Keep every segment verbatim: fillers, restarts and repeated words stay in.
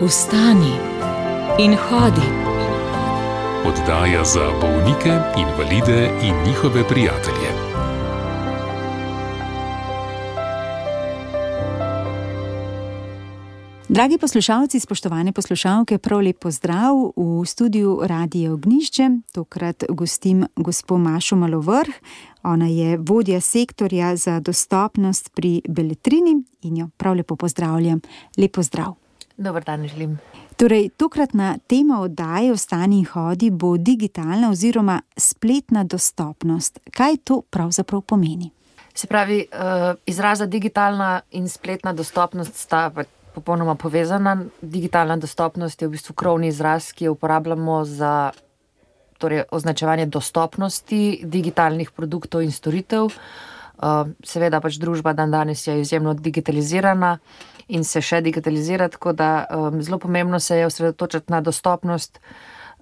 Vstani in hodi. Oddaja za bolnike, invalide in njihove prijatelje. Dragi poslušalci, spoštovane poslušalke, prav lep pozdrav v studiu Radia Ognjišče. Tokrat gostim gospo Mašo Malovrh. Ona je vodja sektorja za dostopnost pri Beletrini in jo prav lepo pozdravljam. Lep pozdrav. Dober dan želim. Torej, tokratna tema oddaje Vstani in hodi bo digitalna oziroma spletna dostopnost. Kaj to pravzaprav pomeni? Se pravi, izraza digitalna in spletna dostopnost sta popolnoma povezana. Digitalna dostopnost je v bistvu krovni izraz, ki jo uporabljamo za torej, označevanje dostopnosti digitalnih produktov in storitev. Seveda pač družba dan danes je izjemno digitalizirana in se še digitalizira, tako da um, zelo pomembno se je osredotočiti na dostopnost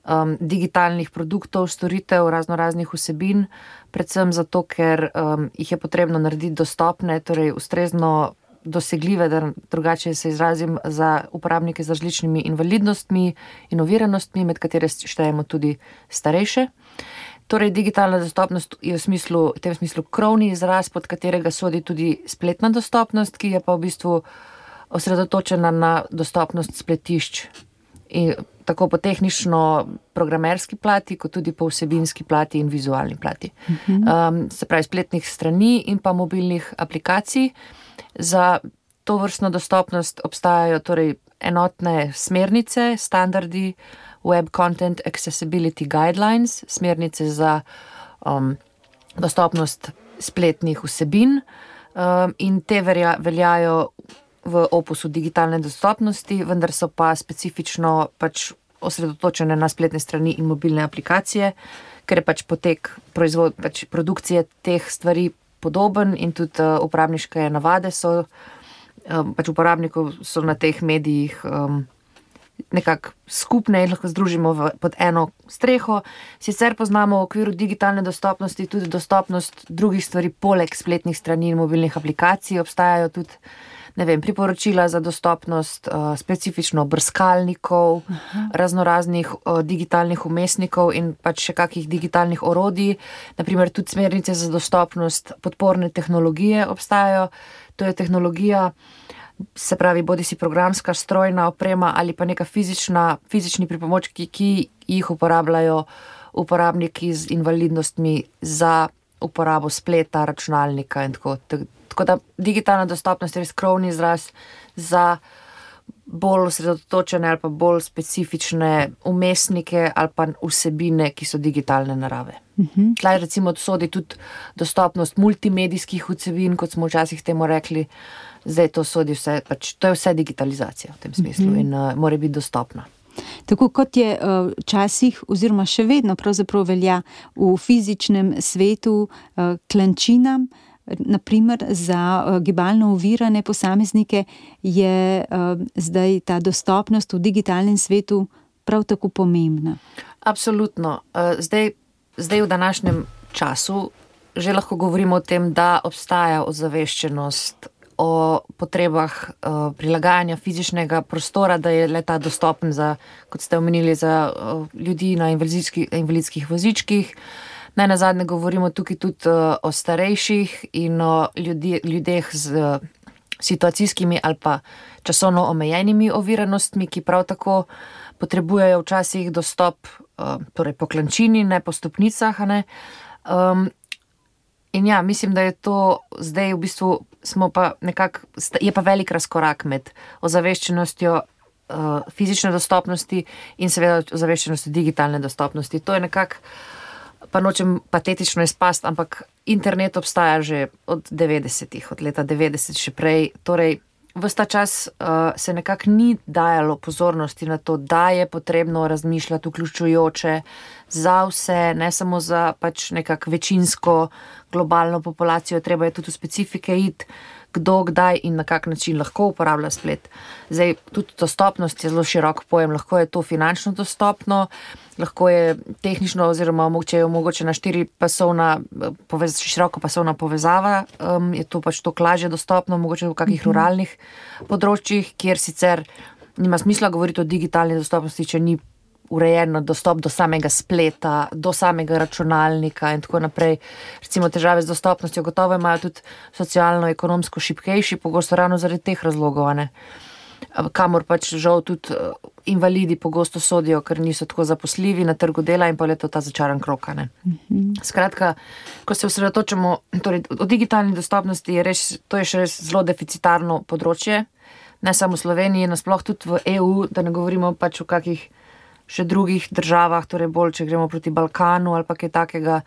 um, digitalnih produktov, storitev, razno raznih vsebin, predvsem zato, ker um, jih je potrebno narediti dostopne, torej ustrezno dosegljive, da drugače se izrazim, za uporabnike z različnimi invalidnostmi in oviranostmi, med katere štejemo tudi starejše. Torej, digitalna dostopnost je v smislu, v tem smislu krovni izraz, pod katerega sodi tudi spletna dostopnost, ki je pa v bistvu osredotočena na dostopnost spletišč. In tako po tehnično-programerski plati, kot tudi po vsebinski plati in vizualni plati. Um, se pravi, spletnih strani in pa mobilnih aplikacij. Za to vrstno dostopnost obstajajo torej enotne smernice, standardi, Web Content Accessibility Guidelines, smernice za um, dostopnost spletnih vsebin um, in te verja, veljajo v opusu digitalne dostopnosti, vendar so pa specifično pač osredotočene na spletne strani in mobilne aplikacije, ker je pač potek proizvod, pač produkcije teh stvari podoben in tudi uh, uporabniške navade so, um, pač uporabnikov so na teh medijih um, nekako skupne in lahko združimo v, pod eno streho. Sicer poznamo v okviru digitalne dostopnosti tudi dostopnost drugih stvari poleg spletnih strani in mobilnih aplikacij. Obstajajo tudi, ne vem, priporočila za dostopnost uh, specifično brskalnikov, Aha. raznoraznih uh, digitalnih vmesnikov in pač še kakih digitalnih orodij. Naprimer tudi smernice za dostopnost podporne tehnologije obstajajo. To je tehnologija, se pravi, bodi si programska, strojna oprema ali pa neka fizična, fizični pripomočki, ki jih uporabljajo uporabniki z invalidnostmi za uporabo spleta, računalnika in tako. Tako da digitalna dostopnost je res krovni izraz za bolj osredotočene ali pa bolj specifične vmesnike ali pa vsebine, ki so digitalne narave. Uh-huh. Tlaj recimo sodi tudi dostopnost multimedijskih vsebin, kot smo včasih temu rekli. Zdaj to sodi vse, pač to je vse digitalizacija v tem smislu uh-huh. in uh, mora biti dostopna. Tako kot je včasih uh, oziroma še vedno pravzaprav velja v fizičnem svetu uh, klančinam, naprimer za uh, gibalno ovirane posameznike, je uh, zdaj ta dostopnost v digitalnem svetu prav tako pomembna. Absolutno. Uh, zdaj, zdaj v današnjem času že lahko govorimo o tem, da obstaja ozaveščenost o potrebah uh, prilagajanja fizičnega prostora, da je le ta dostopen za, kot ste omenili, za uh, ljudi na invalidskih, invalidskih vozičkih. Naj nazadnje govorimo tukaj tudi uh, o starejših in o ljudi, ljudeh z uh, situacijskimi ali pa časovno omejenimi oviranostmi, ki prav tako potrebujejo včasih dostop uh, torej po klančini, ne po stopnicah. Ne? Um, in ja, mislim, da je to zdaj v bistvu smo pa nekako, je pa velik razkorak med ozaveščenostjo uh, fizične dostopnosti in seveda ozaveščenostjo digitalne dostopnosti. To je nekako, pa nočem patetično izpast, ampak internet obstaja že od devetdesetih, od leta devetdeset še prej. Torej, ves ta čas uh, se nekako ni dajalo pozornosti na to, da je potrebno razmišljati vključujoče za vse, ne samo za pač nekako večinsko globalno populacijo, treba je tudi v specifike iti, kdo, kdaj in na kak način lahko uporablja splet. Zdaj, tudi dostopnost je zelo širok pojem, lahko je to finančno dostopno, lahko je tehnično oziroma če je omogočena štiripasovna, povez, širokopasovna povezava, um, je to pač to lažje dostopno, mogoče v kakih ruralnih področjih, kjer sicer nima smisla govoriti o digitalni dostopnosti, če ni urejeno dostop do samega spleta, do samega računalnika in tako naprej. Recimo težave z dostopnostjo gotovo imajo tudi socialno-ekonomsko šibkejši, pogosto ravno zaradi teh razlogov, ne. Kamor pač žal tudi invalidi pogosto sodijo, ker niso tako zaposljivi na trgu dela in pa je to ta začaran krog, ne. Skratka, ko se osredotočamo, torej o digitalni dostopnosti je res, to je še res zelo deficitarno področje, ne samo v Sloveniji, nasploh tudi v E U, da ne govorimo pač o kakih še drugih državah, torej bolj, če gremo proti Balkanu ali pa kaj takega,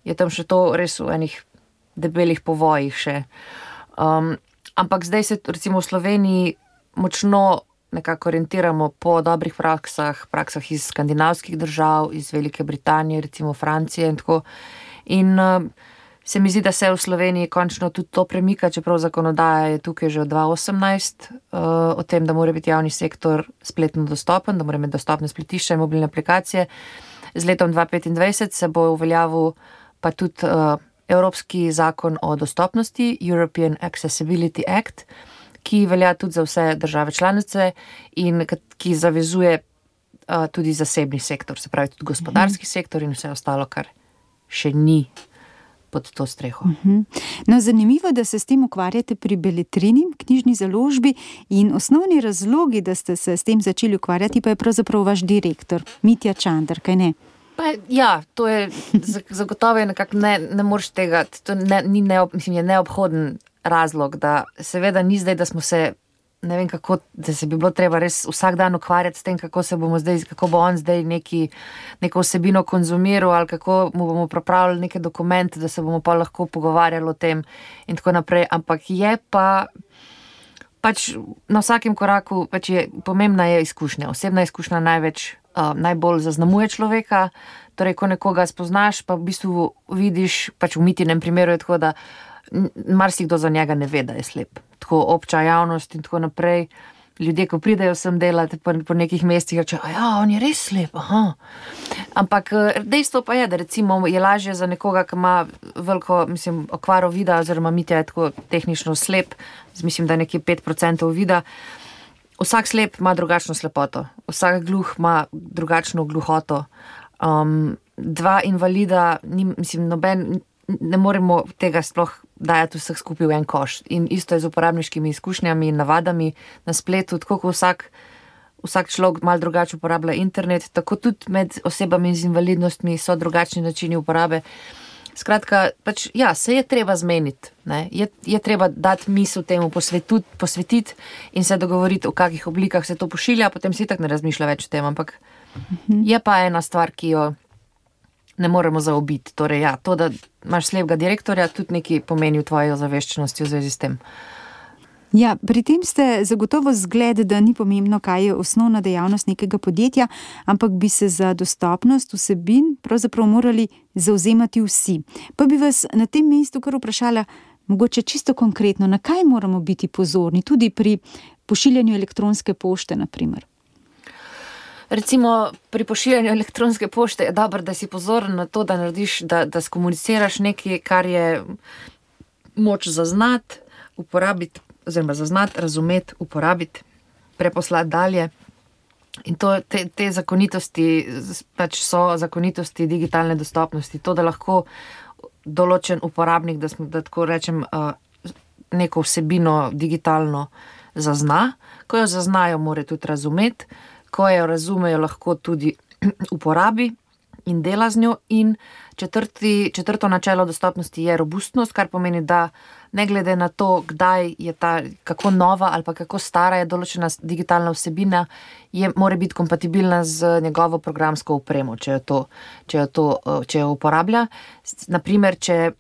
je tam še to res v enih debelih povojih še. Um, ampak zdaj se recimo v Sloveniji močno nekako orientiramo po dobrih praksah, praksah iz skandinavskih držav, iz Velike Britanije, recimo Francije in tako. In uh, se mi zdi, da se v Sloveniji končno tudi to premika, čeprav zakonodaja je tukaj že od dva tisoč osemnajst uh, o tem, da mora biti javni sektor spletno dostopen, da mora imeti dostopne spletišča in mobilne aplikacije. Z letom dva tisoč petindvajset se bo uveljavil pa tudi uh, Evropski zakon o dostopnosti, European Accessibility Act, ki velja tudi za vse države članice in ki zavezuje uh, tudi zasebni sektor, se pravi tudi gospodarski sektor in vse ostalo, kar še ni pod to streho. No, zanimivo, da se s tem ukvarjate pri Beletrini, knjižni založbi, in osnovni razlogi, da ste se s tem začeli ukvarjati, pa je pravzaprav vaš direktor, Mitja Čander, kaj ne? Pa, ja, to je zagotovo je nekako ne, ne moreš tega, to ne, ni neob, mislim, je neobhoden razlog, da seveda ni zdaj, da smo se, ne vem kako, da se bi bilo treba res vsak dan ukvarjati s tem, kako se bomo zdaj, kako bo on zdaj neki, neko vsebino konzumiral ali kako mu bomo pripravili neke dokumente, da se bomo pa lahko pogovarjali o tem in tako naprej, ampak je pa pač na vsakem koraku pač je, pomembna je izkušnja, osebna izkušnja največ, uh, najbolj zaznamuje človeka, torej ko nekoga spoznaš, pa v bistvu vidiš, pač v Mitinem primeru je tako, da marsikdo za njega ne ve, da je slep. Tako obča javnost in tako naprej. Ljudje, ko pridejo sem delati po, po nekih mestih, reče, a ja, on je res slep, aha. Ampak dejstvo pa je, da recimo je lažje za nekoga, ki ima veliko, mislim, okvaro vida, oziroma Mitja je tako tehnično slep, mislim, da nekje pet procentov vida. Vsak slep ima drugačno slepoto, vsak gluh ima drugačno gluhoto. Um, dva invalida, ni, mislim, noben, ne moremo tega sploh dajati vseh skupaj v en koš. In isto je z uporabniškimi izkušnjami in navadami na spletu, tako ko vsak, vsak človek malo drugače uporablja internet, tako tudi med osebami z invalidnostmi so drugačni načini uporabe. Skratka, pač, ja, se je treba zmeniti, ne? Je, je treba dati misel temu, posvetiti, posvetiti in se dogovoriti, v kakih oblikah se to pošilja, potem si tak ne razmišlja več o tem, ampak mhm. je pa ena stvar, ki jo ne moremo zaobiti. Torej, ja, to, da imaš slepega direktorja, tudi nekaj pomeni v tvoji ozaveščenosti v zvezi s tem. Ja, pri tem ste zagotovo zgled, da ni pomembno, kaj je osnovna dejavnost nekega podjetja, ampak bi se za dostopnost vsebin pravzaprav morali zavzemati vsi. Pa bi vas na tem mestu kar vprašala, mogoče čisto konkretno, na kaj moramo biti pozorni, tudi pri pošiljanju elektronske pošte, na primer. Recimo pri pošiljanju elektronske pošte je dobro, da si pozoren na to, da narediš, da, da skomuniciraš nekaj, kar je moč zaznati, uporabiti, oziroma zaznati, razumeti, uporabiti, preposlati dalje. In to, te, te zakonitosti pač so zakonitosti digitalne dostopnosti. To, da lahko določen uporabnik, da, smo, da tako rečem, neko vsebino digitalno zazna, ko jo zaznajo, mora tudi razumeti, ko jo razumejo, lahko tudi uporabi in dela z njo. In četrti, četrto načelo dostopnosti je robustnost, kar pomeni, da ne glede na to, kdaj je ta, kako nova ali pa kako stara je določena digitalna vsebina, je, mora biti kompatibilna z njegovo programsko opremo, če jo, to, če jo, to, če jo uporablja. Naprimer, če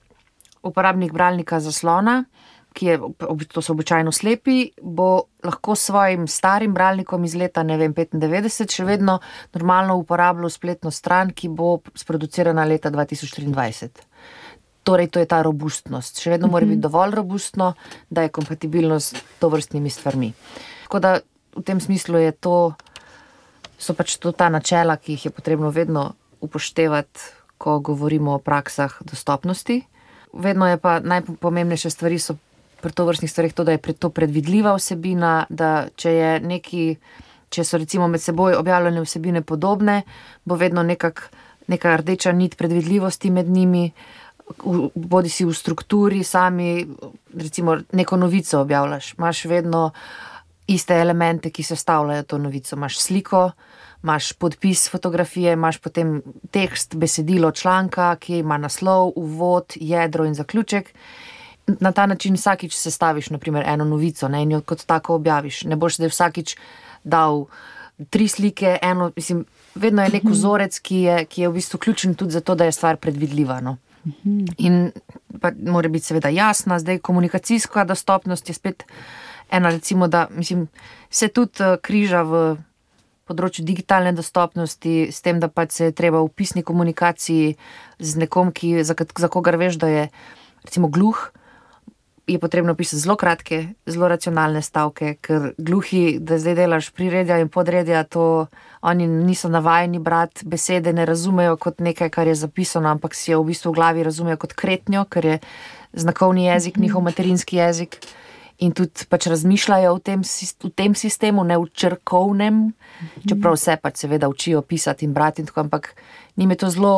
uporabnik bralnika zaslona, ki je, to so običajno slepi, bo lahko s svojim starim bralnikom iz leta, ne vem, petindevetdeset še vedno normalno uporabljal spletno stran, ki bo sproducirana leta dva tisoč triindvajset. Torej, to je ta robustnost. Še vedno mora biti dovolj robustno, da je kompatibilno s tovrstnimi stvarmi. Tako da v tem smislu je to, so pač to ta načela, ki jih je potrebno vedno upoštevati, ko govorimo o praksah dostopnosti. Vedno je pa najpomembnejše stvari so pri tovrstnih stvarih to, da je to predvidljiva vsebina, da če je neki če so recimo med seboj objavljene vsebine podobne, bo vedno nekak, neka rdeča nit predvidljivosti med njimi, bodi si v strukturi sami, recimo neko novico objavljaš, imaš vedno iste elemente, ki sestavljajo to novico, imaš sliko, imaš podpis fotografije, imaš potem tekst, besedilo članka, ki ima naslov, uvod, jedro in zaključek. Na ta način vsakič sestaviš, na primer, eno novico, ne, in jo kot tako objaviš. Ne boš zdaj vsakič dal tri slike, eno, mislim, vedno je nek vzorec, ki je, ki je v bistvu ključen tudi zato, da je stvar predvidljiva, no. In pa mora biti seveda jasna, zdaj komunikacijska dostopnost je spet ena, recimo, da, mislim, se tudi križa v področju digitalne dostopnosti s tem, da pač se je treba v pisni komunikaciji z nekom, ki, za, za kogar veš, da je recimo gluh, je potrebno pisati zelo kratke, zelo racionalne stavke, ker gluhi, da zdaj delaš priredja in podredja, to oni niso navajeni brati besede, ne razumejo kot nekaj, kar je zapisano, ampak si jo v bistvu v glavi razumejo kot kretnjo, ker je znakovni jezik, njihov materinski jezik in tudi pač razmišljajo v tem, v tem sistemu, ne v črkovnem, čeprav vse pač seveda učijo pisati in brati in tako, ampak njim je to zelo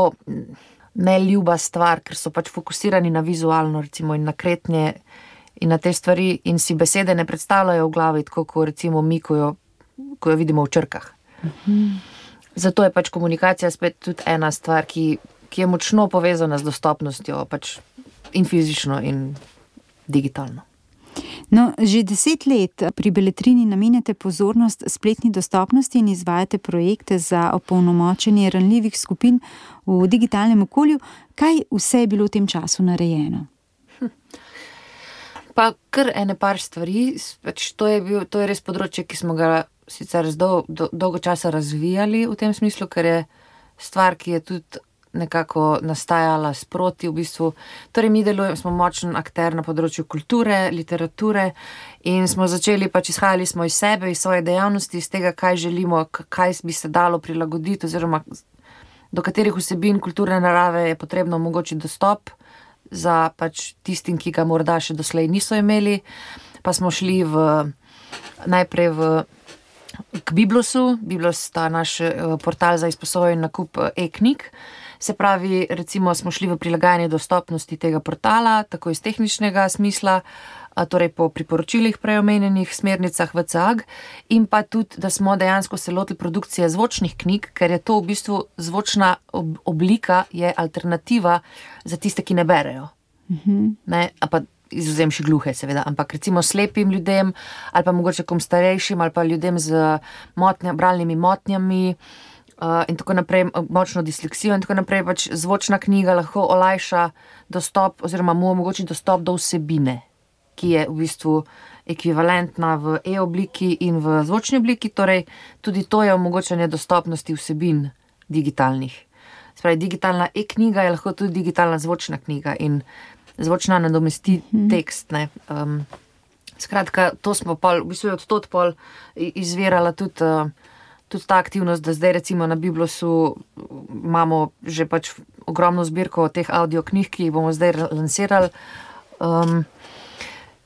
neljuba stvar, ker so pač fokusirani na vizualno, recimo, in na kretnje in na te stvari in si besede ne predstavljajo v glavi, tako kot recimo mi, ko jo, ko jo vidimo v črkah. Mhm. Zato je pač komunikacija spet tudi ena stvar, ki, ki je močno povezana z dostopnostjo, pač in fizično in digitalno. No, že deset let pri Beletrini namenjate pozornost spletni dostopnosti in izvajate projekte za opolnomočenje ranljivih skupin v digitalnem okolju. Kaj vse je bilo v tem času narejeno? Hm. Pa kar ene par stvari. Pač to je bil, to je res področje, ki smo ga sicer dol, do, dolgo časa razvijali v tem smislu, ker je stvar, ki je tudi nekako nastajala sproti v bistvu. Torej mi delujemo, smo močen akter na področju kulture, literature in smo začeli, pač izhajali smo iz sebe, iz svoje dejavnosti, iz tega, kaj želimo, kaj bi se dalo prilagoditi oziroma do katerih vsebin kulturne narave je potrebno omogočiti dostop za pač tistim, ki ga morda še doslej niso imeli. Pa smo šli v, najprej v k Biblosu. Biblos sta naš portal za izposojen nakup e-knjig. Se pravi, recimo smo šli v prilagajanje dostopnosti tega portala, tako iz tehničnega smisla, torej po priporočilih preomenjenih smernicah V C A G in pa tudi, da smo dejansko se lotili produkcije zvočnih knjig, ker je to v bistvu zvočna oblika, je alternativa za tiste, ki ne berejo. Mhm. Ne, a pa izvzemši gluhe seveda, ampak recimo slepim ljudem ali pa mogoče kom starejšim ali pa ljudem z motnja, bralnimi motnjami, Uh, in tako naprej, močno disleksijo in tako naprej, pač zvočna knjiga lahko olajša dostop oziroma mu omogoči dostop do vsebine, ki je v bistvu ekvivalentna v e-obliki in v zvočni obliki, torej tudi to je omogočanje dostopnosti vsebin digitalnih. Spravi, digitalna e-knjiga je lahko tudi digitalna zvočna knjiga in zvočna nadomesti hmm. tekst, ne. Um, skratka, to smo pol, v bistvu je od tod pol izvirala tudi uh, tudi ta aktivnost, da zdaj recimo na Biblosu imamo že pač ogromno zbirko teh audio knjig, ki jih bomo zdaj lansirali. Um,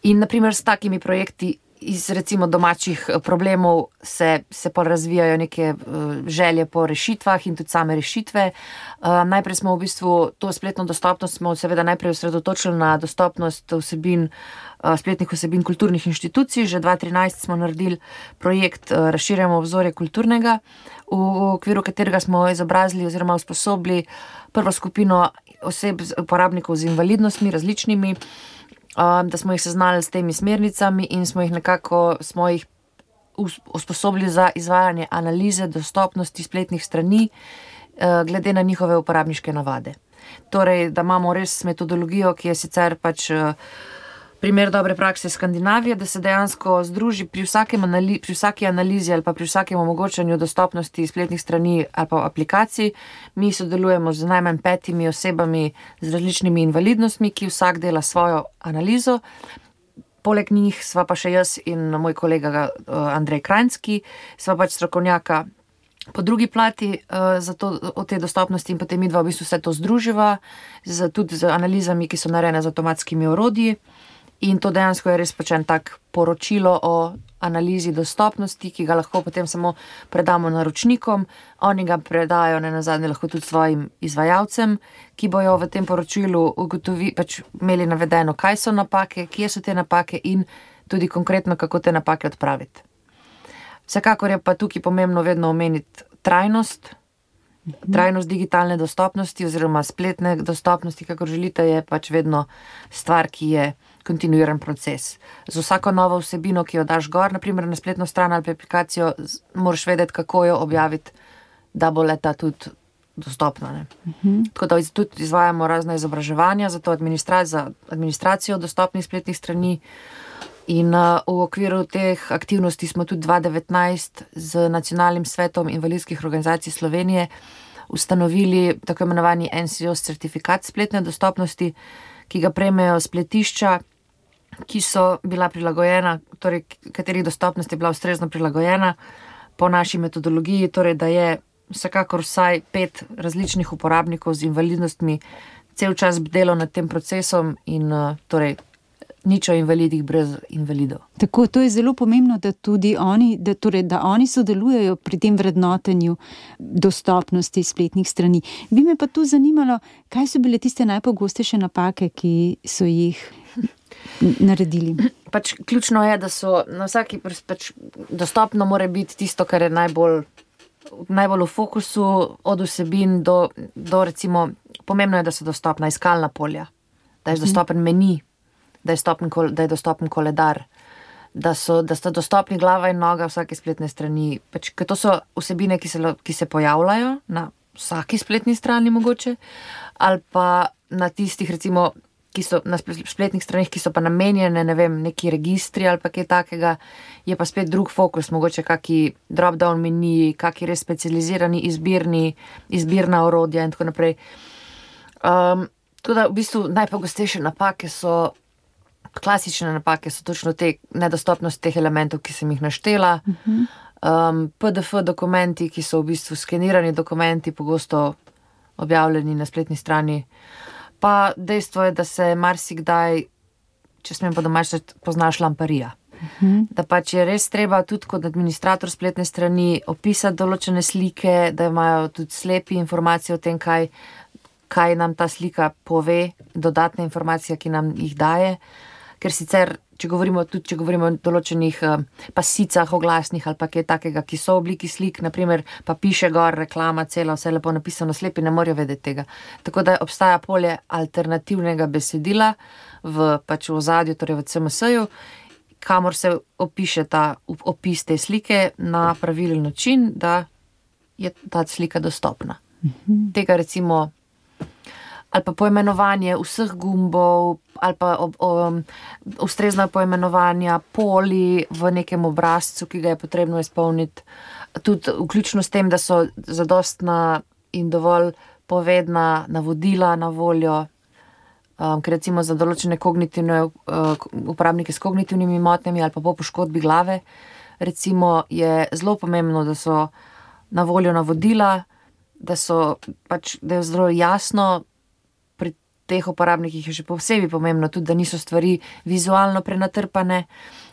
in naprimer s takimi projekti iz recimo domačih problemov se, se pa razvijajo neke uh, želje po rešitvah in tudi same rešitve. Uh, najprej smo v bistvu to spletno dostopnost smo seveda najprej osredotočili na dostopnost vsebin spletnih vsebin kulturnih inštitucij. Že dva tisoč trinajst smo naredili projekt Razširjamo obzorje kulturnega, v okviru katerega smo izobrazili oziroma usposobili prvo skupino oseb, uporabnikov z invalidnostmi različnimi, da smo jih seznali s temi smernicami in smo jih nekako smo jih usposobili za izvajanje analize dostopnosti spletnih strani glede na njihove uporabniške navade. Torej, da imamo res metodologijo, ki je sicer pač primer dobre prakse Skandinavije, da se dejansko združi pri, anali, pri vsaki analizi ali pa pri vsakem omogočanju dostopnosti spletnih strani ali pa aplikacij. Mi sodelujemo z najmanj petimi osebami z različnimi invalidnostmi, ki vsak dela svojo analizo. Poleg njih sva pa še jaz in moj kolega Andrej Krajnski, sva pač strokovnjaka po drugi plati uh, za to, o tej dostopnosti in potem mi dva v bistvu vse to združiva, z, tudi z analizami, ki so narejene z avtomatskimi orodji. In to dejansko je res pač en tak poročilo o analizi dostopnosti, ki ga lahko potem samo predamo naročnikom, oni ga predajo ne nazadnje lahko tudi svojim izvajalcem, ki bojo v tem poročilu ugotovi, pač imeli navedeno, kaj so napake, kje so te napake in tudi konkretno, kako te napake odpraviti. Vsekakor je pa tukaj pomembno vedno omeniti trajnost, trajnost digitalne dostopnosti oziroma spletne dostopnosti, kako želite, je pač vedno stvar, ki je kontinuiran proces. Z vsako novo vsebino, ki jo daš gor, naprimer na spletno stran ali aplikacijo, moraš vedeti, kako jo objaviti, da bo leta tudi dostopna. Ne? Uh-huh. Tako da tudi izvajamo razne izobraževanja za to administra- za administracijo dostopnih spletnih strani in uh, v okviru teh aktivnosti smo tudi dva tisoč devetnajst z Nacionalnim svetom invalidskih organizacij Slovenije ustanovili tako imenovani N C O S certifikat spletne dostopnosti, ki ga prejmejo spletišča, ki so bila prilagojena, torej katerih dostopnost je bila ustrezno prilagojena po naši metodologiji, torej da je vsekakor vsaj pet različnih uporabnikov z invalidnostmi cel čas bdelo nad tem procesom in uh, torej nič o invalidih brez invalidov. Tako, to je zelo pomembno, da tudi oni, da, torej, da oni sodelujejo pri tem vrednotenju dostopnosti spletnih strani. Bi me pa tu zanimalo, kaj so bile tiste najpogostejše napake, ki so jih naredili? Pač ključno je, da so na vsaki pač dostopno mora biti tisto, kar je najbolj, najbolj v fokusu, od vsebin do, do recimo, pomembno je, da so dostopna iskalna polja, da je dostopen meni, da je, stopen, da je dostopen koledar, da so, da sta dostopni glava in noga vsake spletne strani. Pač, ker to so vsebine, ki se, ki se pojavljajo na vsaki spletni strani mogoče, ali pa na tistih, recimo, ki so na spletnih stranih, ki so pa namenjene, ne vem, neki registri ali pa kaj takega, je pa spet drug fokus, mogoče kaki drop-down meni, kaki res specializirani izbirni, izbirna orodja in tako naprej. Um, tudi v bistvu najpogostejše napake so klasične napake so točno te nedostopnost teh elementov, ki sem jih naštela. Uh-huh. Um, P D F dokumenti, ki so v bistvu skenirani dokumenti, pogosto objavljeni na spletni strani. Pa dejstvo je, da se marsikdaj, če smem pa domač, poznaš lamparija. Uh-huh. Da pač je res treba tudi kot administrator spletne strani opisati določene slike, da imajo tudi slepi informacije o tem, kaj, kaj nam ta slika pove, dodatne informacije, ki nam jih daje. Ker sicer, če govorimo tudi, če govorimo o določenih uh, pasicah, oglasnih ali pa kaj takega, ki so v obliki slik, naprimer, pa piše gor reklama, cela, vse lepo napisano, slepi ne morajo vedeti tega. Tako da obstaja polje alternativnega besedila v pač v ozadju, torej v C M S-ju, kamor se opiše ta opis te slike na pravilen način, da je ta slika dostopna. Mhm. Tega recimo ali pa poimenovanje vseh gumbov, ali pa ob, um, ustrezna poimenovanja poli v nekem obrazcu, ki ga je potrebno izpolniti. Tudi vključno s tem, da so zadostna in dovolj povedna navodila na voljo, um, ker recimo za določene kognitivne uh, uporabnike s kognitivnimi motnjami ali pa po poškodbi glave, recimo je zelo pomembno, da so na voljo navodila, da so pač, da je zelo jasno, teh uporabnikih je še posebej pomembno tudi, da niso stvari vizualno prenatrpane.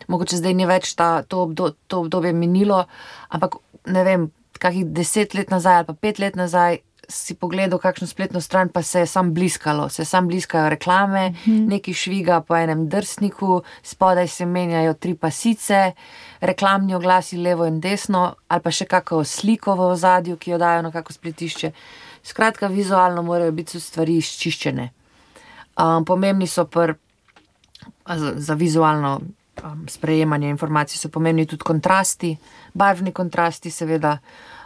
Mogoče zdaj ni več ta, to, obdo, to obdobje minilo, ampak ne vem, kakih deset let nazaj ali pa pet let nazaj si pogledal kakšno spletno stran, pa se je sam bliskalo, se sam bliskajo reklame, mm-hmm. neki šviga po enem drsniku, spodaj se menjajo tri pasice, reklamni oglasi levo in desno, ali pa še kako sliko v ozadju, ki jo dajo na kako spletišče. Skratka, vizualno morajo biti stvari izčiščene. Um, pomembni so pr, za, za vizualno um, sprejemanje informacij so pomembni tudi kontrasti, barvni kontrasti seveda.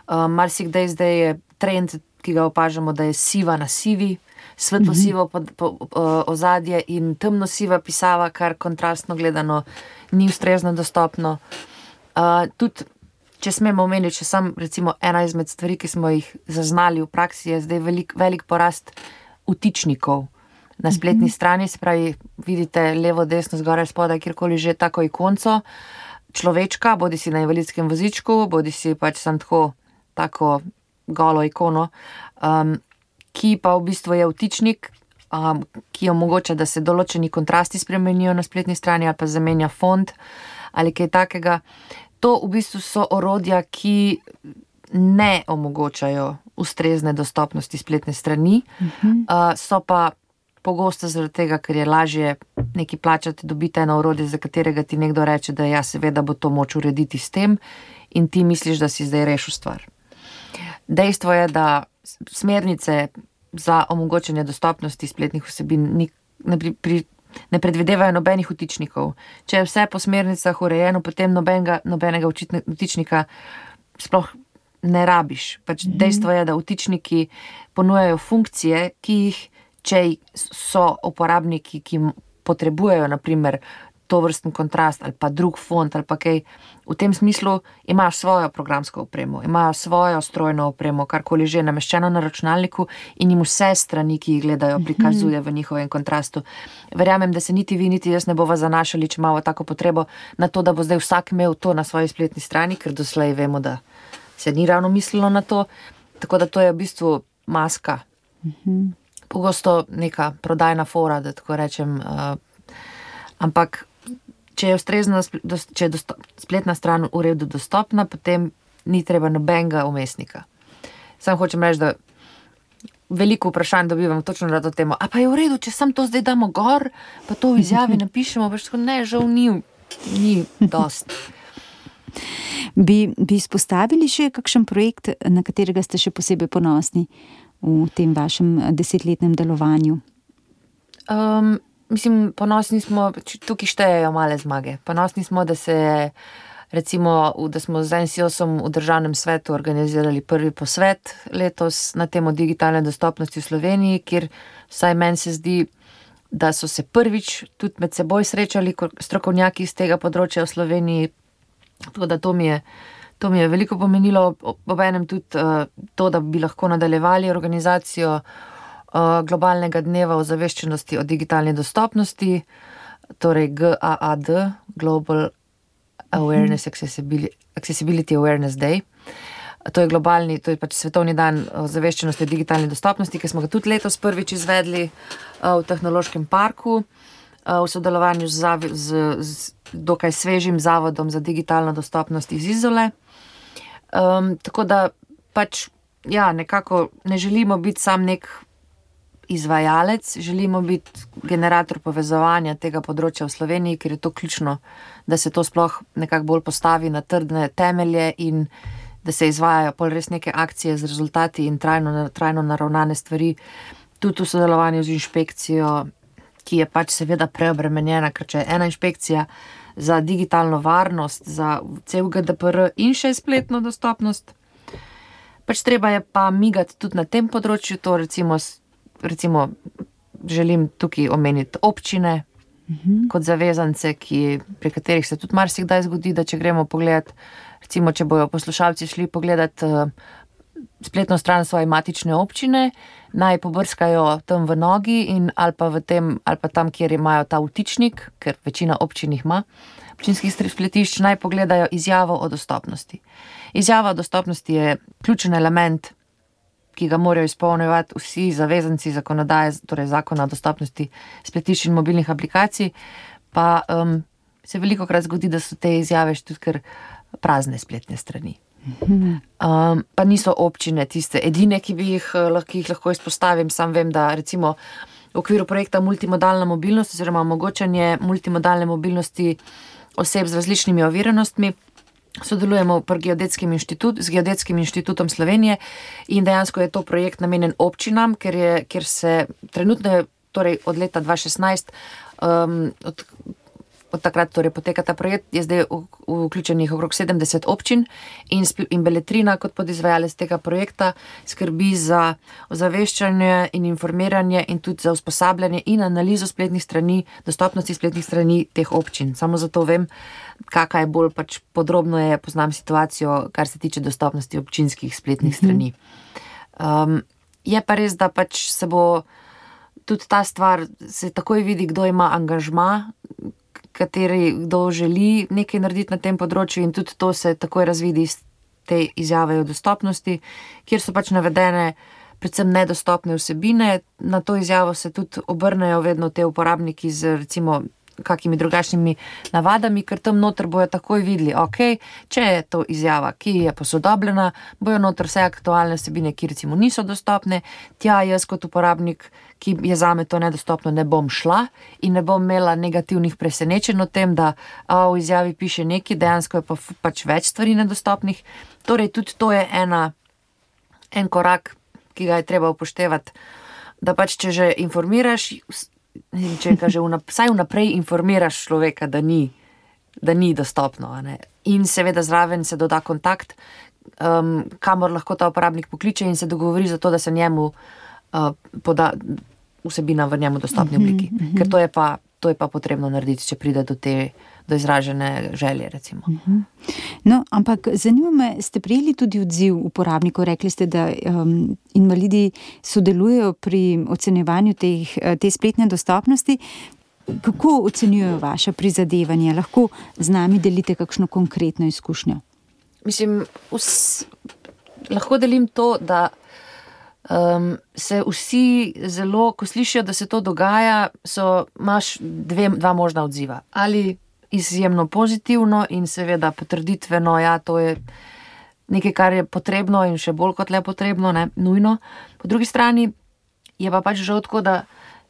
Um, marsikdaj zdaj je trend, ki ga opažamo, da je siva na sivi, svetlo sivo po, po, po, ozadje in temno siva pisava, kar kontrastno gledano ni ustrezno dostopno. Uh, tudi, če smemo omeniti, če sam recimo ena izmed stvari, ki smo jih zaznali v praksi, je zdaj velik, velik porast vtičnikov na spletni mm-hmm. strani, se pravi, vidite levo, desno, zgoraj, spodaj, kjerkoli že tako ikonco človečka, bodi si na invalidskem vozičku, bodi si pač sam tako, tako golo ikono, um, ki pa v bistvu je vtičnik, um, ki omogoča, da se določeni kontrasti spremenijo na spletni strani ali pa zamenja font ali kaj takega. To v bistvu so orodja, ki ne omogočajo ustrezne dostopnosti spletne strani, uh-huh. uh, so pa pogosto zaradi tega, ker je lažje nekaj plačati, dobiti eno orodje, za katerega ti nekdo reče, da ja, seveda bo to moč urediti s tem in ti misliš, da si zdaj rešil stvar. Dejstvo je, da smernice za omogočanje dostopnosti spletnih vsebin ni, ne, pri, pri, ne predvidevajo nobenih vtičnikov. Če je vse po smernicah urejeno, potem nobenega, nobenega vtičnika sploh ne rabiš. Pač mm-hmm. Dejstvo je, da vtičniki ponujajo funkcije, ki jih, če so uporabniki, ki potrebujejo naprimer to vrsten kontrast ali pa drug font ali pa kaj, v tem smislu imajo svojo programsko opremo, imajo svojo strojno opremo, karkoli že nameščeno na računalniku in jim vse strani, ki jih gledajo, prikazuje v njihovem kontrastu. Verjamem, da se niti vi, niti jaz ne bova zanašali, če imamo tako potrebo na to, da bo zdaj vsak imel to na svoji spletni strani, ker doslej vemo, da se ni ravno mislilo na to, tako da to je v bistvu maska. Pogosto neka prodajna fora, da tako rečem, uh, ampak če je ustrezna, če je dostop, spletna stran v redu dostopna, potem ni treba nobenega umestnika. Sam hočem reči, da veliko vprašanj dobivam točno na to temo. A pa je v redu, če sam to zdaj damo gor, pa to v izjavi napišemo, pa še ne, žal ni, ni dost. Bi, bi izpostavili še kakšen projekt, na katerega ste še posebej ponosni v tem vašem desetletnem delovanju? Um, Mislim, ponosni smo, tukaj štejejo male zmage. Ponosni smo, da se recimo, da smo z N S I O S-om v državnem svetu organizirali prvi posvet letos na temo digitalne dostopnosti v Sloveniji, kjer vsaj meni se zdi, da so se prvič tudi med seboj srečali strokovnjaki iz tega področja v Sloveniji. Tako da to mi je, to mi je veliko pomenilo, obenem tudi uh, to, da bi lahko nadaljevali organizacijo globalnega dneva o zaveščenosti o digitalni dostopnosti, torej G A A D, Global Awareness Accessibility, Accessibility Awareness Day. To je globalni, to je pač svetovni dan o zaveščenosti o digitalni dostopnosti, ki smo ga tudi letos prvič izvedli v Tehnološkem parku v sodelovanju z, z, z dokaj svežim zavodom za digitalno dostopnost iz Izole. Um, tako da pač, ja, nekako ne želimo biti sam nek izvajalec, želimo biti generator povezovanja tega področja v Sloveniji, ker je to ključno, da se to sploh nekako bolj postavi na trdne temelje in da se izvajajo pol res neke akcije z rezultati in trajno, trajno naravnane stvari, tudi v sodelovanju z inšpekcijo, ki je pač seveda preobremenjena, ker če je ena inšpekcija za digitalno varnost, za cel G D P R in še spletno dostopnost, pač treba je pa migati tudi na tem področju, to recimo Recimo, želim tukaj omeniti občine uh-huh. kot zavezance, ki, pri katerih se tudi marsikdaj zgodi, da če gremo pogledat, recimo, če bojo poslušalci šli pogledat uh, spletno stran svoje matične občine, naj pobrskajo tam v nogi in ali pa, v tem, ali pa tam, kjer imajo ta vtičnik, ker večina občin jih ima, občinskih spletišč, naj pogledajo izjavo o dostopnosti. Izjava o dostopnosti je ključen element, ki ga morajo izpolnjevati vsi zavezanci zakonodaje, torej zakona o dostopnosti spletišč in mobilnih aplikacij, pa um, se veliko krat zgodi, da so te izjave tudi kar prazne spletne strani. Um, pa niso občine tiste edine, ki bi jih, ki jih lahko izpostavim. Sam vem, da recimo v okviru projekta Multimodalna mobilnost oziroma omogočanje multimodalne mobilnosti oseb z različnimi oviranostmi, sodelujemo pri Geodetskim inštitut, z Geodetskim inštitutom Slovenije in dejansko je to projekt namenjen občinam, ker, je, ker se trenutno, torej od leta dva tisoč šestnajst, um, od, od takrat torej poteka ta projekt, je zdaj vključenih okrog sedemdeset občin in, in Beletrina kot podizvajalec tega projekta skrbi za ozaveščanje in informiranje in tudi za usposabljanje in analizo spletnih strani, dostopnosti spletnih strani teh občin. Samo zato vem, kakaj je bolj pač podrobno je, poznam situacijo, kar se tiče dostopnosti občinskih spletnih strani. Um, je pa res, da pač se bo tudi ta stvar, se takoj vidi, kdo ima angažma, kateri, kdo želi nekaj narediti na tem področju in tudi to se takoj razvidi iz te izjave o dostopnosti, kjer so pač navedene predvsem nedostopne vsebine. Na to izjavo se tudi obrnejo vedno te uporabniki z recimo kakimi drugačnimi navadami, ker tam noter bojo takoj videli, ok, če je to izjava, ki je posodobljena, bojo noter vse aktualne vsebine, ki recimo niso dostopne, tja jaz kot uporabnik, ki je zame to nedostopno, ne bom šla in ne bom imela negativnih presenečenj o tem, da a, v izjavi piše nekaj, dejansko je pa pač več stvari nedostopnih. Torej, tudi to je ena, en korak, ki ga je treba upoštevati, da pač, če že informiraš, če ga že vnap, vsaj vnaprej informiraš človeka, da ni, da ni dostopno. A ne? In seveda zraven se doda kontakt, um, kamor lahko ta uporabnik pokliče in se dogovori za to, da se njemu uh, poda vsebina v njemu dostopni obliki. Mm -hmm. Ker to je, pa, to je pa potrebno narediti, če pride do te do izražene želje, recimo. No, ampak zanima me, ste prijeli tudi odziv uporabnikov, rekli ste, da um, invalidi sodelujejo pri ocenjevanju teh, te spletne dostopnosti. Kako ocenjujejo vaše prizadevanje? Lahko z nami delite kakšno konkretno izkušnjo? Mislim, vs, lahko delim to, da um, se vsi zelo, ko slišijo, da se to dogaja, so, imaš dve, dva možna odziva. Ali izjemno pozitivno in seveda potrditveno, ja, to je nekaj, kar je potrebno in še bolj kot le potrebno, ne, nujno. Po drugi strani je pa pač žal tako, da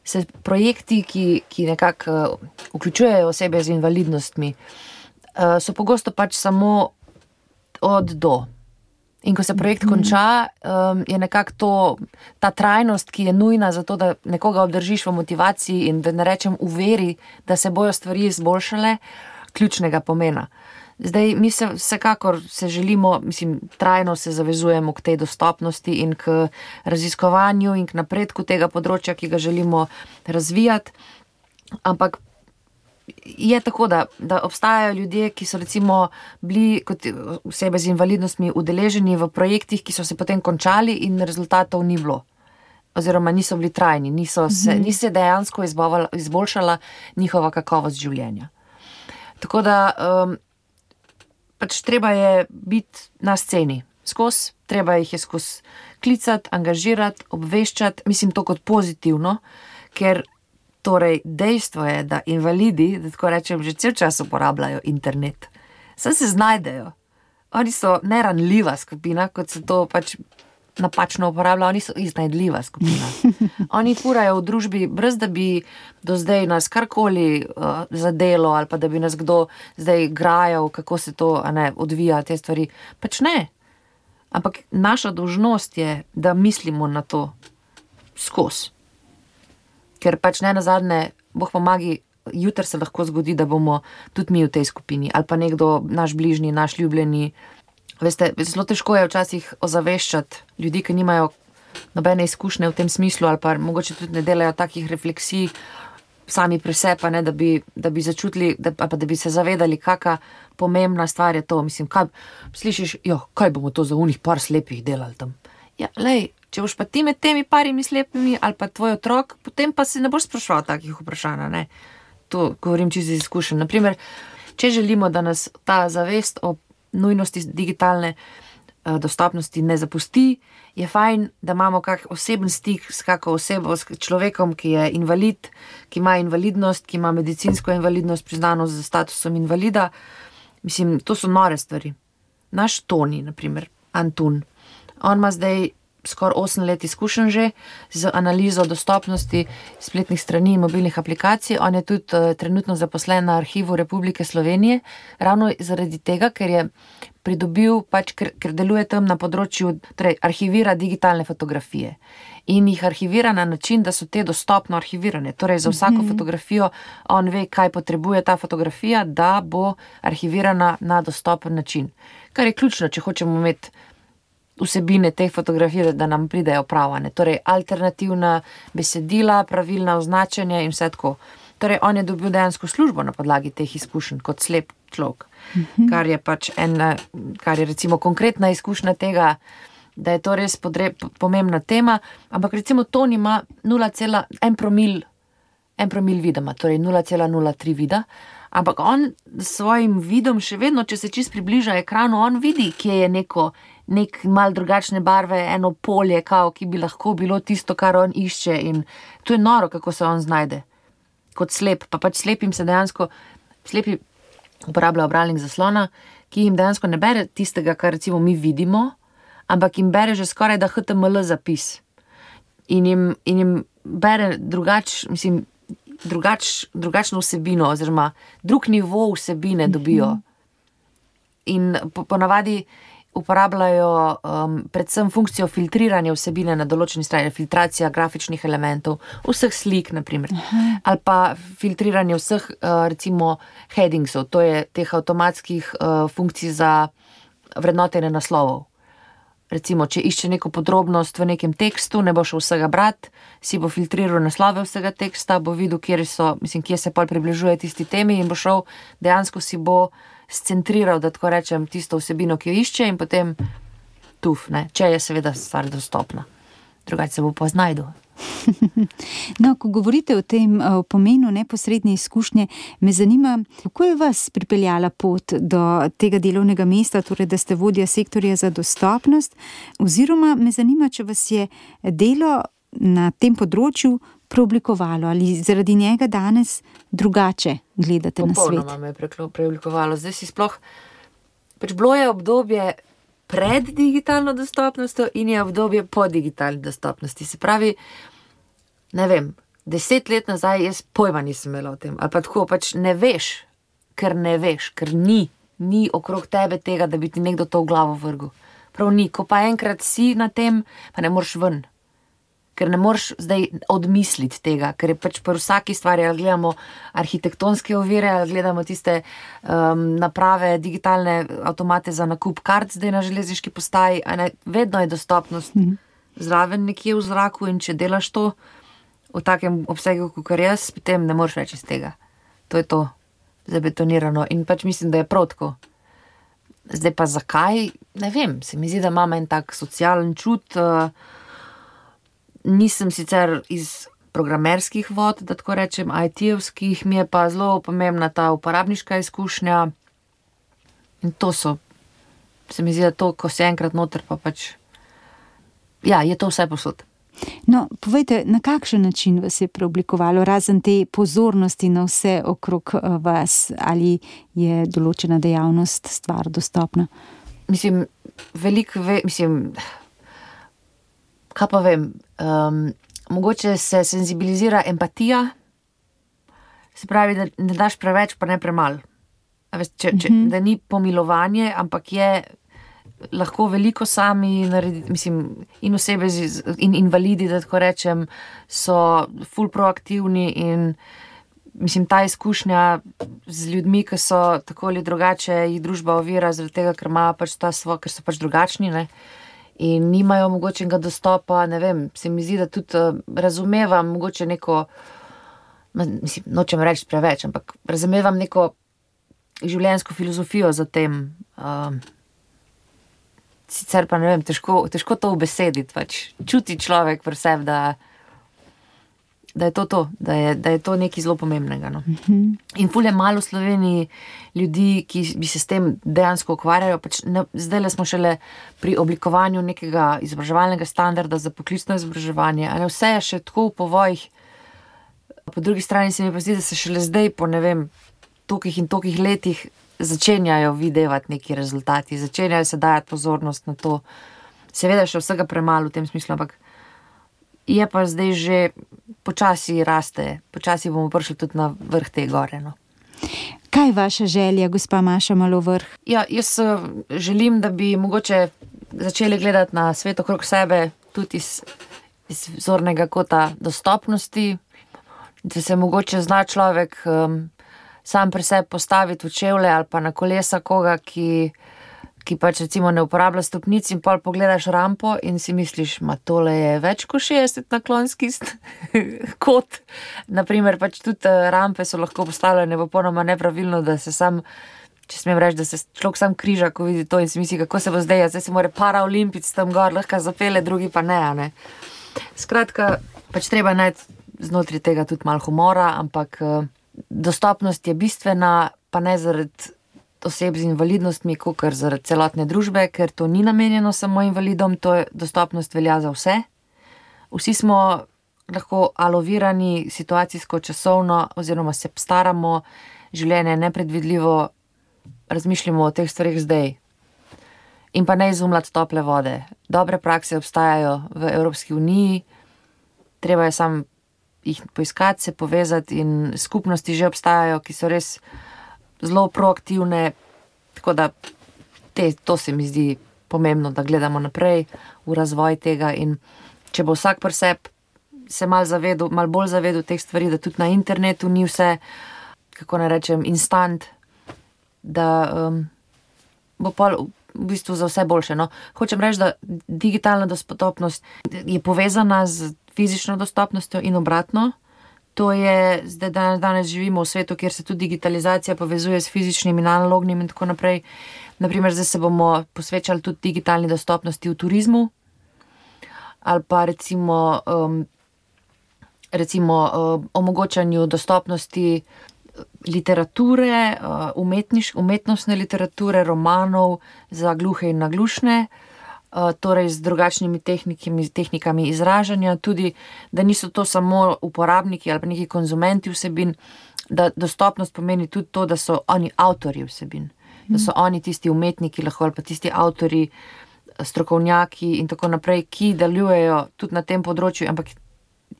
se projekti, ki, ki nekako uh, vključujejo osebe z invalidnostmi, uh, so pogosto pač samo od do. In ko se projekt konča, um, je nekako to, ta trajnost, ki je nujna za to, da nekoga obdržiš v motivaciji in da ne rečem v veri, da se bojo stvari izboljšale, ključnega pomena. Zdaj, mi se vsekakor se želimo, mislim, trajno se zavezujemo k tej dostopnosti in k raziskovanju in k napredku tega področja, ki ga želimo razvijati, ampak je tako, da, da obstajajo ljudje, ki so recimo bili kot osebe z invalidnostmi udeleženi v projektih, ki so se potem končali in rezultatov ni bilo. Oziroma niso bili trajni, niso se, mm-hmm. ni se dejansko izboljšala njihova kakovost življenja. Tako da um, pač treba je biti na sceni skozi, treba jih je skozi klicati, angažirati, obveščati, mislim to kot pozitivno, ker torej, dejstvo je, da invalidi, da tako rečem, že cel čas uporabljajo internet. Saj se znajdejo. Oni so neranljiva skupina, kot se to pač napačno uporablja, oni so iznajdljiva skupina. Oni furajo v družbi, brez da bi do zdaj nas karkoli uh, zadelo, ali pa da bi nas kdo zdaj grajal, kako se to a ne, odvija, te stvari. Pač ne. Ampak naša dolžnost je, da mislimo na to skozi. Ker pač ne nazadnje, Bog pomagi, jutri se lahko zgodi, da bomo tudi mi v tej skupini, ali pa nekdo, naš bližnji, naš ljubljeni. Veste, zelo težko je včasih ozaveščati ljudi, ki nimajo nobene izkušnje v tem smislu, ali pa mogoče tudi ne delajo takih refleksij sami pri sebi, ne, da bi, da bi začutili, da, pa da bi se zavedali, kakšna pomembna stvar je to. Mislim, kaj, slišiš, jo, kaj bomo to za unih par slepih delali tam? Ja, lej, če boš pa ti med temi parimi slepimi ali pa tvoj otrok, potem pa se ne boš spraševal takih vprašanj, ne. To govorim čisto iz izkušenj. Naprimer, če želimo, da nas ta zavest o nujnosti digitalne uh, dostopnosti ne zapusti, je fajn, da imamo kak oseben stik s kako osebo, s človekom, ki je invalid, ki ima invalidnost, ki ima medicinsko invalidnost, priznano z statusom invalida. Mislim, to so nore stvari. Naš Toni, naprimer, Antun, on ima zdaj skoraj osem let izkušenj že z analizo dostopnosti spletnih strani in mobilnih aplikacij. On je tudi uh, trenutno zaposlen na Arhivu Republike Slovenije, ravno zaradi tega, ker je pridobil, pač, ker, ker deluje tam na področju, torej arhivira digitalne fotografije in jih arhivira na način, da so te dostopno arhivirane. Torej za vsako mm-hmm. fotografijo on ve, kaj potrebuje ta fotografija, da bo arhivirana na dostopen način. Kar je ključno, če hočemo imeti vsebine teh fotografij, da nam pridejo pravane. Torej, alternativna besedila, pravilna označenja in vse tako. Torej, on je dobil dejansko službo na podlagi teh izkušenj kot slep človek, mm-hmm. kar je pač ena, kar je recimo konkretna izkušnja tega, da je to res podre, pomembna tema, ampak recimo Toni ima nula cela ena promil, en promil vidoma, torej nula cela nula tri vida, ampak on s svojim vidom še vedno, če se čist približa ekranu, on vidi, kje je neko nek mal drugačne barve, eno polje, kao, ki bi lahko bilo tisto, kar on išče in to je noro, kako se on znajde. Kot slep, pa pač slepim se dejansko, slepi uporabljajo bralnik zaslona, ki jim dejansko ne bere tistega, kar recimo mi vidimo, ampak jim bere že skoraj da H T M L zapis. In jim, in jim bere drugač, mislim, drugač, drugačno vsebino, oziroma drug nivo vsebine dobijo. In po, ponavadi uporabljajo um, predvsem funkcijo filtriranja vsebine na določeni strani, filtracija grafičnih elementov, vseh slik, naprimer, ali pa filtriranje vseh, uh, recimo, headingsov, to je teh avtomatskih uh, funkcij za vrednotenje naslovov. Recimo, če išče neko podrobnost v nekem tekstu, ne bo šel vsega brati, si bo filtriral naslove vsega teksta, bo videl, kjer so, mislim, kje se pol približuje tisti temi in bo šel, dejansko si bo scentriral, da tako rečem, tisto vsebino, ki jo išče in potem tuf, ne, če je seveda stvar dostopna. Drugače se bo pa znajdel. No, ko govorite o tem o pomenu neposredne izkušnje, me zanima, kako je vas pripeljala pot do tega delovnega mesta, torej da ste vodja sektorja za dostopnost, oziroma me zanima, če vas je delo na tem področju preoblikovalo ali zaradi njega danes drugače gledate Popolnoma na svet. Popolnoma me je preoblikovalo. Zdaj si sploh, pač bilo je obdobje pred digitalno dostopnostjo in je obdobje po digitalni dostopnosti. Se pravi, ne vem, deset let nazaj jaz pojma nisem imela o tem. Ali pa tako, pač ne veš, ker ne veš, ker ni, ni okrog tebe tega, da bi ti nekdo to v glavo vrgel. Prav ni. Ko pa enkrat si na tem, pa ne moreš ven. Ker ne moreš zdaj odmisliti tega, ker je pač pri vsaki stvari, ali gledamo arhitektonske ovire, ali gledamo tiste um, naprave, digitalne avtomate za nakup kart zdaj na železniški postaji, a ne, vedno je dostopnost mm. zraven nekje v zraku in če delaš to v takem obsegu, kot jaz, potem ne moreš več iz tega. To je to zabetonirano in pač mislim, da je prav tako. Zdaj pa zakaj? Ne vem, se mi zdi, da imam en tak socialen čut. Uh, nisem sicer iz programerskih vod, da tako rečem, I T-evskih, mi je pa zelo pomembna ta uporabniška izkušnja in to so, se mi zdi, da to, ko si enkrat noter, pa pač, ja, je to vse posod. No, povejte, na kakšen način vas je preoblikovalo, razen te pozornosti na vse okrog vas, ali je določena dejavnost stvar dostopna? Mislim, veliko, ve, mislim, kaj pa vem, um, mogoče se senzibilizira empatija, se pravi, da ne daš preveč, pa ne premal. Veš, če, če, mm-hmm. Da ni pomilovanje, ampak je lahko veliko sami narediti, mislim, in osebe z, in invalidi, da tako rečem, so ful proaktivni in mislim, ta izkušnja z ljudmi, ki so tako ali drugače, jih družba ovira, zaradi tega, ker imajo pač ta svo, ker so pač drugačni, ne. In nimajo mogočenega dostopa, ne vem, se mi zdi, da tudi uh, razumevam mogoče neko, mislim, nočem reči preveč, ampak razumevam neko življenjsko filozofijo za tem. Uh, sicer pa ne vem, težko, težko to ubesediti, pač čuti človek pri sebi, da, da je to to, da je, da je to nekaj zelo pomembnega. No. Mm-hmm. In ful je malo v Sloveniji ljudi, ki bi se s tem dejansko ukvarjajo. Pač ne, zdaj le smo šele pri oblikovanju nekega izobraževalnega standarda za poklicno izobraževanje. A ne, vse je še tako v povojih. Po drugi strani se mi pa zdi, da se šele zdaj po ne vem, tolikih in tolikih letih začenjajo videvati neki rezultati, začenjajo se dajati pozornost na to. Seveda še vsega premalo v tem smislu, ampak je pa zdaj že počasi raste, počasi bomo prišli tudi na vrh te gore. No. Kaj je vaša želja, gospa Maša Malovrh? Ja, jaz želim, da bi mogoče začeli gledati na svet okrog sebe tudi iz, iz zornega kota dostopnosti, da se mogoče zna človek um, sam pri sebi postaviti v čevlje ali pa na kolesa koga, ki, ki pač recimo ne uporablja stopnic in pol pogledaš rampo in si misliš, ma tole je več kot šestdeset naklonski kot. Naprimer, pač tudi rampe so lahko postavljene popolnoma nepravilno, da se sam, če smem reči, da se človek sam križa, ko vidi to in si misli, kako se bo zdaj, zdaj se mora paraolimpijc tam gor, lahko zapele, drugi pa ne, a ne. Skratka, pač treba najti znotraj tega tudi malo humora, ampak dostopnost je bistvena, pa ne zaradi oseb z invalidnostmi, kakor zaradi celotne družbe, ker to ni namenjeno samo invalidom, to je dostopnost velja za vse. Vsi smo lahko alovirani situacijsko, časovno, oziroma se staramo, življenje je nepredvidljivo, razmišljamo o teh stvarih zdaj. In pa ne izumljati tople vode. Dobre prakse obstajajo v Evropski uniji, treba je sam jih poiskati, se povezati in skupnosti že obstajajo, ki so res zelo proaktivne, tako da te, to se mi zdi pomembno, da gledamo naprej v razvoj tega in če bo vsak pri sebi se mal zavedel, mal bolj zavedel teh stvari, da tudi na internetu ni vse, kako naj rečem, instant, da um, bo pol v bistvu za vse boljše. No, hočem reči, da digitalna dostopnost je povezana z fizično dostopnostjo in obratno. To je, zdaj danes, danes živimo v svetu, kjer se tudi digitalizacija povezuje s fizičnim in analognim in tako naprej. Naprimer, zdaj se bomo posvečali tudi digitalni dostopnosti v turizmu ali pa recimo, um, recimo um, omogočanju dostopnosti literature, uh, umetniš, umetnostne literature, romanov za gluhe in naglušne, uh, torej z drugačnimi tehnikami, tehnikami izražanja, tudi, da niso to samo uporabniki ali pa neki konzumenti vsebin, da dostopnost pomeni tudi to, da so oni avtorji vsebin, da so oni tisti umetniki lahko ali pa tisti avtorji, strokovnjaki in tako naprej, ki delujejo tudi na tem področju, ampak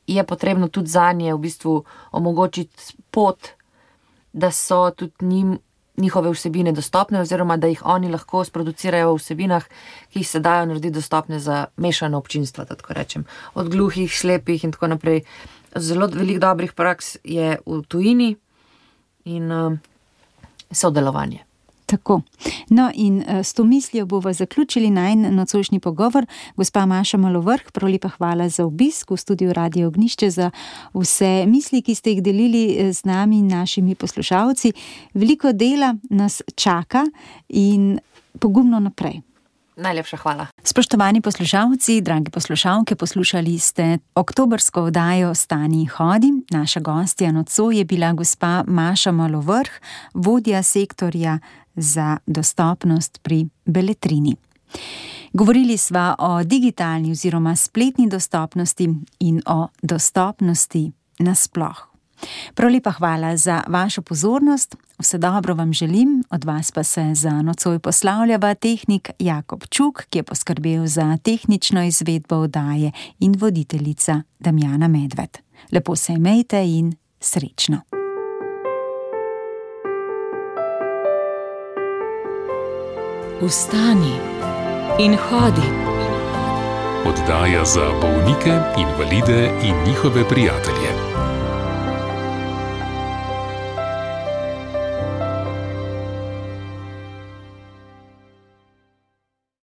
je potrebno tudi zanje v bistvu omogočiti pot, da so tudi njim, njihove vsebine dostopne oziroma da jih oni lahko sproducirajo v vsebinah, ki jih se dajo narediti dostopne za mešano občinstvo, tako rečem. Od gluhih, slepih in tako naprej. Zelo veliko dobrih praks je v tujini in uh, sodelovanje. Tako. No in s to mislijo bomo zaključili najin nocojšnji pogovor. Gospa Maša Malovrh, prav lepa hvala za obisk v studiu Radio Ognjišče, za vse misli, ki ste jih delili z nami in našimi poslušalci. Veliko dela nas čaka in pogumno naprej. Najlepša hvala. Spoštovani poslušalci, dragi poslušalke, poslušali ste oktobrsko oddajo Stani in hodi. Naša gostja nocoj je bila gospa Maša Malovrh, vodja sektorja za dostopnost pri Beletrini. Govorili sva o digitalni oziroma spletni dostopnosti in o dostopnosti nasploh. Prav lepa hvala za vašo pozornost, vse dobro vam želim, od vas pa se za nocoj poslavljava tehnik Jakob Čuk, ki je poskrbel za tehnično izvedbo oddaje, in voditeljica Damjana Medved. Lepo se imejte in srečno. Vstani in hodi. Oddaja za bolnike, invalide in njihove prijatelje.